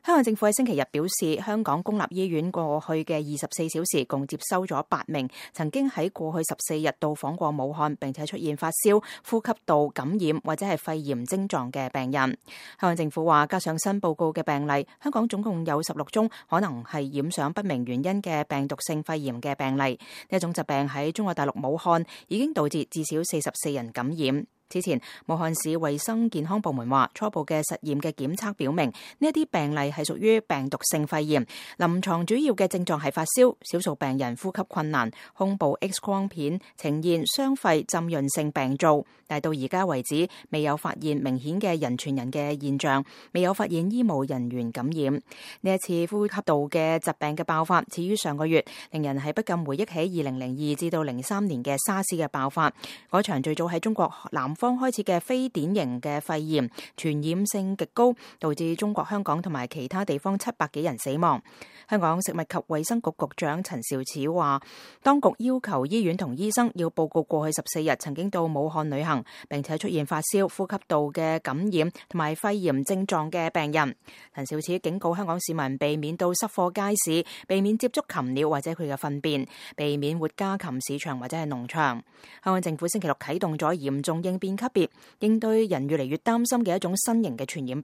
香港政府喺星期日表示，香港公立醫院過去嘅24小時共接收咗8名曾經喺過去14日到訪過武漢並且出現發燒、呼吸道感染或者係肺炎症狀嘅病人。香港政府話，加上新報告嘅病例，香港總共有16宗可能係染上不明原因嘅病毒性肺炎嘅病例。呢一種疾病喺中國大陸武漢已經導致至少44人感染。之前，武漢市衛生健康部門話，初步嘅實驗嘅檢測表明，呢一啲病例係屬於病毒性肺炎，臨床主要嘅症狀係發燒，少數病人呼吸困難，胸部 X 光片呈現雙肺浸潤性病灶，但到而家為止未有發現明顯嘅人傳人嘅現象，未有發現醫務人員感染。呢一次呼吸道嘅疾病嘅爆發始於上個月，令人係不禁回憶起2002至到03年嘅沙士嘅爆發，嗰場最早喺中國南方開始嘅非典型嘅肺炎，傳染性極高，導致中國香港同埋其他地方700幾人死亡。香港食物及衛生局局長陳肇始話，當局要求醫院同醫生要報告過去14日曾經到武漢旅行並且出現發燒、呼吸道嘅感染同埋肺炎症狀嘅病人。陳肇始警告香港市民避免到濕貨街市，避免接觸禽鳥或者佢嘅糞便，避免活家禽市場或者係農場。香港政府星期六啟動咗嚴重應變級別，應對人越嚟越擔心嘅一種新型嘅傳染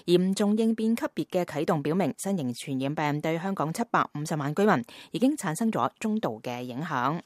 病。嚴重應變級別嘅啟動表明，新型傳染病對香港750萬居民已經產生咗中度嘅影響。